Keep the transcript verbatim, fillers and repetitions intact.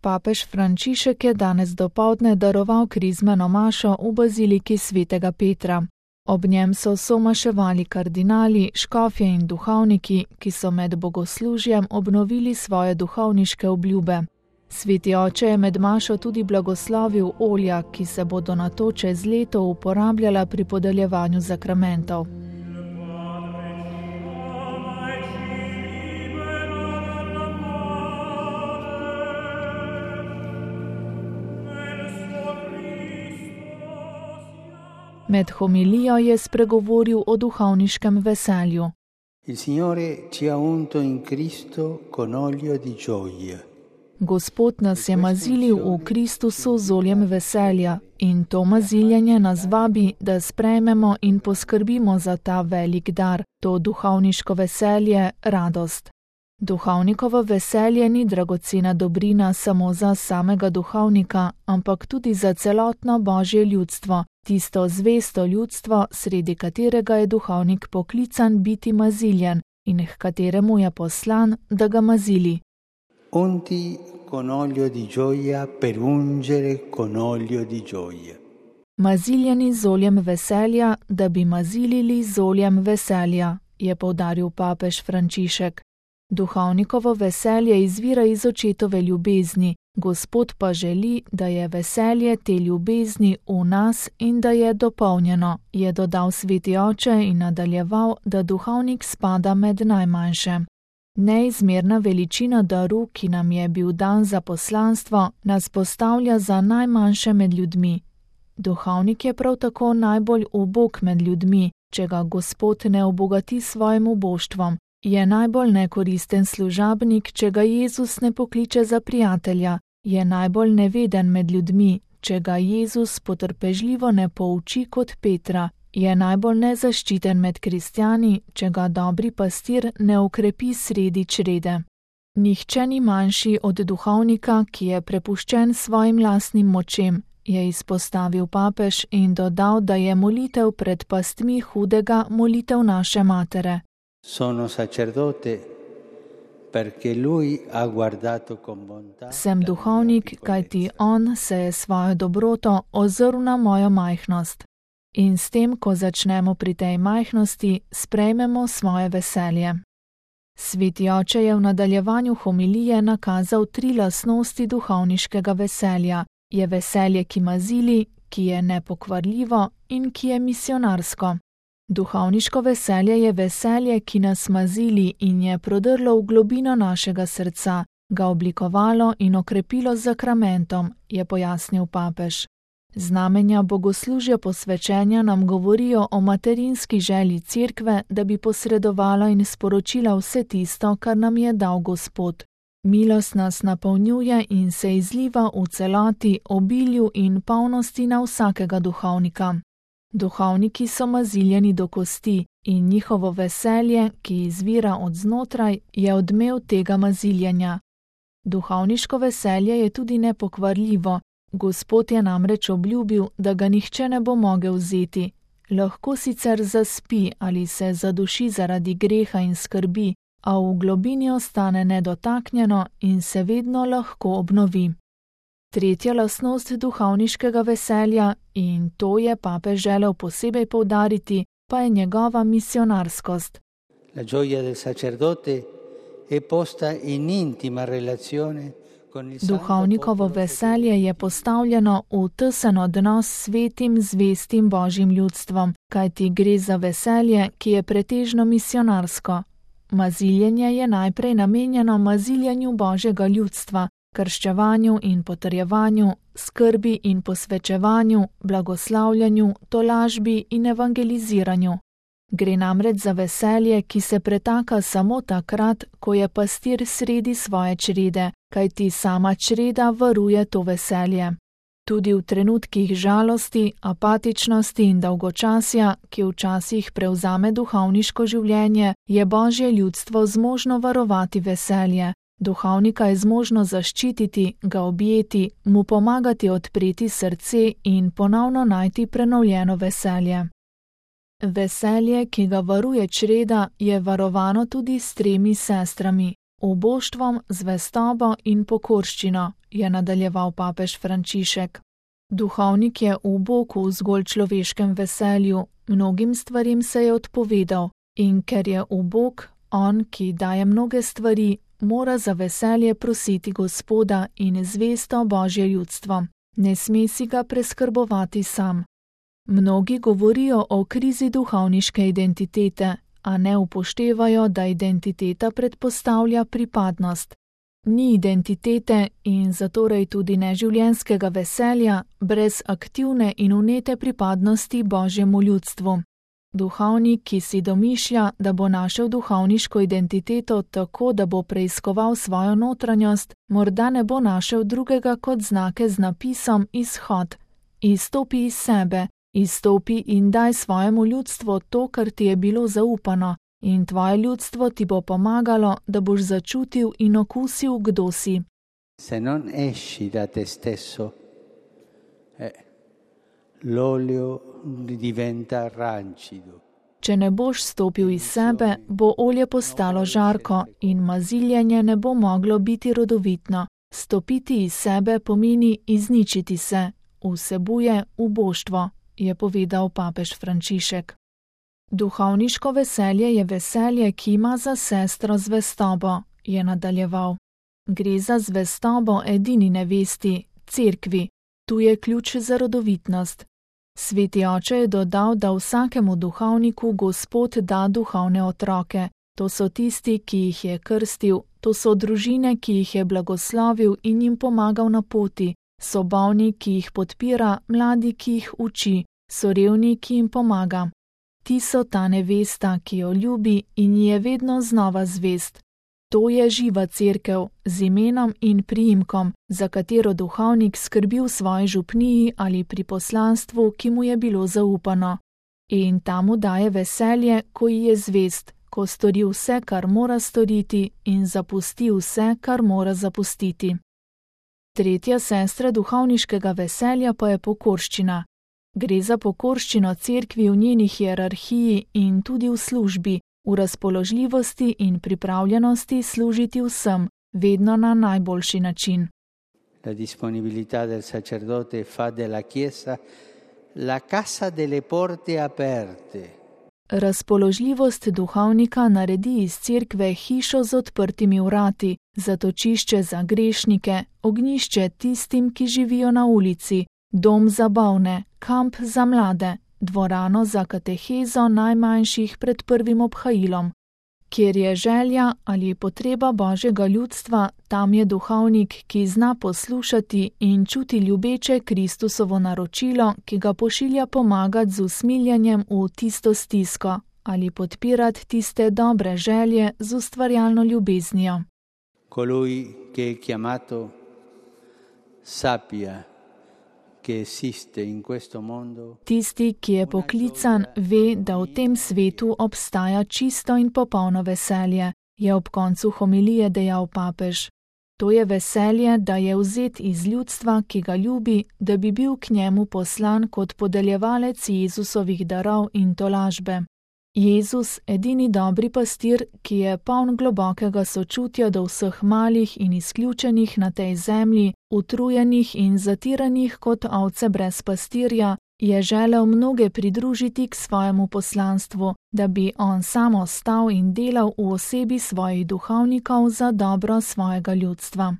Papež Frančišek je danes dopoldne daroval krizmeno mašo v baziliki svetega Petra. Ob njem so somaševali kardinali, škofje in duhovniki, ki so med bogoslužjem obnovili svoje duhovniške obljube. Sveti oče je med mašo tudi blagoslovil olja, ki se bodo nato čez leto uporabljala pri podeljevanju zakramentov. Med homilijo je spregovoril o duhovniškem veselju. Il Signore ci ha unto in Cristo con olio di gioia. Gospod nas je mazilil v Kristusu z oljem veselja in to maziljenje nas vabi, da sprejmemo in poskrbimo za ta velik dar, to duhovniško veselje, radost. Duhovnikovo veselje ni dragocena dobrina samo za samega duhovnika, ampak tudi za celotno Božje ljudstvo, tisto zvesto ljudstvo, sredi katerega je duhovnik poklican biti maziljen in h kateremu je poslan, da ga mazili. Unti con olio di gioia per ungere con olio di gioia. Maziljeni z oljem veselja, da bi mazilili z oljem veselja, je poudaril papež Frančišek. Duhovnikovo veselje izvira iz očetove ljubezni, Gospod pa želi, da je veselje te ljubezni v nas in da je dopolnjeno, je dodal sveti oče in nadaljeval, da duhovnik spada med najmanjše. Neizmerna veličina daru, ki nam je bil dan za poslanstvo, nas postavlja za najmanjše med ljudmi. Duhovnik je prav tako najbolj ubog med ljudmi, če ga Gospod ne obogati svojim uboštvom. Je najbolj nekoristen služabnik, če ga Jezus ne pokliče za prijatelja, je najbolj neveden med ljudmi, če ga Jezus potrpežljivo ne pouči kot Petra, je najbolj nezaščiten med kristjani, če ga dobri pastir ne ukrepi sredi črede. Nihče ni manjši od duhovnika, ki je prepuščen svojim lastnim močem, je izpostavil papež in dodal, da je molitev pred pastmi hudega molitev naše matere. Sono sacerdote perché lui ha guardato con bontà. Sem duhovnik, kajti on se je svojo dobroto ozrl na mojo majhnost. In s tem, ko začnemo pri tej majhnosti, sprejmemo svoje veselje. Sveti oče je v nadaljevanju homilije nakazal tri lastnosti duhovniškega veselja. Je veselje, ki mazili, ki je nepokvarljivo in ki je misionarsko. Duhovniško veselje je veselje, ki nas mazili in je prodrlo v globino našega srca, ga oblikovalo in okrepilo z zakramentom, je pojasnil papež. Znamenja bogoslužja posvečenja nam govorijo o materinski želji cerkve, da bi posredovala in sporočila vse tisto, kar nam je dal Gospod. Milost nas napolnjuje in se izliva v celoti, obilju in polnosti na vsakega duhovnika. Duhovniki so maziljeni do kosti in njihovo veselje, ki izvira od znotraj, je odmev tega maziljenja. Duhovniško veselje je tudi nepokvarljivo. Gospod je namreč obljubil, da ga nihče ne bo mogel vzeti. Lahko sicer zaspi ali se zaduši zaradi greha in skrbi, a v globini ostane nedotaknjeno in se vedno lahko obnovi. Tretja lastnost duhovniškega veselja, in to je papež želel posebej poudariti, pa je njegova misionarskost. La gioia del sacerdote è posta in intima relazione con il Duhovnikovo veselje je postavljeno v tesen odnos s svetim, zvestim Božjim ljudstvom, kajti gre za veselje, ki je pretežno misionarsko. Maziljenje je najprej namenjeno maziljenju Božjega ljudstva, krščevanju in potrjevanju, skrbi in posvečevanju, blagoslavljanju, tolažbi in evangeliziranju. Gre namreč za veselje, ki se pretaka samo takrat, ko je pastir sredi svoje črede, kajti sama čreda varuje to veselje. Tudi v trenutkih žalosti, apatičnosti in dolgočasja, ki včasih prevzame duhovniško življenje, je Božje ljudstvo zmožno varovati veselje. Duhovnika je zmožno zaščititi, ga objeti, mu pomagati odpreti srce in ponovno najti prenovljeno veselje. Veselje, ki ga varuje čreda, je varovano tudi s tremi sestrami. oboštvom, zvestobo in pokorščino, je nadaljeval papež Frančišek. Duhovnik je ubog v zgolj človeškem veselju, mnogim stvarim se je odpovedal in ker je ubog, on, ki daje mnoge stvari, mora za veselje prositi Gospoda in zvesto Božje ljudstvo. Ne sme si ga preskrbovati sam. Mnogi govorijo o krizi duhovniške identitete, a ne upoštevajo, da identiteta predpostavlja pripadnost. Ni identitete in zatorej tudi ne življenjskega veselja brez aktivne in vnete pripadnosti Božjemu ljudstvu. Duhovnik, ki si domišlja, da bo našel duhovniško identiteto tako, da bo preiskoval svojo notranjost, morda ne bo našel drugega kot znake z napisom izhod. Izstopi iz sebe, izstopi in daj svojemu ljudstvu to, kar ti je bilo zaupano, in tvoje ljudstvo ti bo pomagalo, da boš začutil in okusil, kdo si. Se non esci da te stesso, eh, l'olio diventa rancido. Če ne boš stopil iz sebe, bo olje postalo žarko in maziljenje ne bo moglo biti rodovitno. Stopiti iz sebe pomeni izničiti se, vsebuje uboštvo, je povedal papež Frančišek. Duhovniško veselje je veselje, ki ima za sestro zvestobo, je nadaljeval. Gre za zvestobo edini nevesti, cerkvi. Tu je ključ za rodovitnost. Sveti oče je dodal, da vsakemu duhovniku Gospod da duhovne otroke. To so tisti, ki jih je krstil, to so družine, ki jih je blagoslovil in jim pomagal na poti, so bolni, ki jih podpira, mladi, ki jih uči, so revni, ki jim pomaga. Ti so ta nevesta, ki jo ljubi in ji je vedno znova zvest. To je živa cerkev z imenom in priimkom, za katero duhovnik skrbi v svoji župniji ali pri poslanstvu, ki mu je bilo zaupano. In ta mu daje veselje, ko ji je zvest, ko stori vse, kar mora storiti in zapusti vse, kar mora zapustiti. Tretja sestra duhovniškega veselja pa je pokorščina. Gre za pokorščino cerkvi v njeni hierarhiji in tudi v službi, v razpoložljivosti in pripravljenosti služiti vsem, vedno na najboljši način. La disponibilità del sacerdote fa della Chiesa la casa delle porte aperte. Razpoložljivost duhovnika naredi iz cerkve hišo z odprtimi vrati, zatočišče za grešnike, ognjišče tistim, ki živijo na ulici, dom za bolne, kamp za mlade, dvorano za katehezo najmanjših pred prvim obhajilom. Kjer je želja ali potreba Božjega ljudstva, tam je duhovnik, ki zna poslušati in čuti ljubeče Kristusovo naročilo, ki ga pošilja pomagati z usmiljenjem v tisto stisko ali podpirati tiste dobre želje z ustvarjalno ljubeznijo. Colui che è chiamato sappia che esiste in questo mondo. Tisti, ki je poklican, ve, da v tem svetu obstaja čisto in popolno veselje, je ob koncu homilije dejal papež. To je veselje, da je vzet iz ljudstva, ki ga ljubi, da bi bil k njemu poslan kot podeljevalec Jezusovih darov in tolažbe. Jezus, edini dobri pastir, ki je poln globokega sočutja do vseh malih in izključenih na tej zemlji, utrujenih in zatiranih kot ovce brez pastirja, je želel mnoge pridružiti k svojemu poslanstvu, da bi on sam ostal in delal v osebi svojih duhovnikov za dobro svojega ljudstva.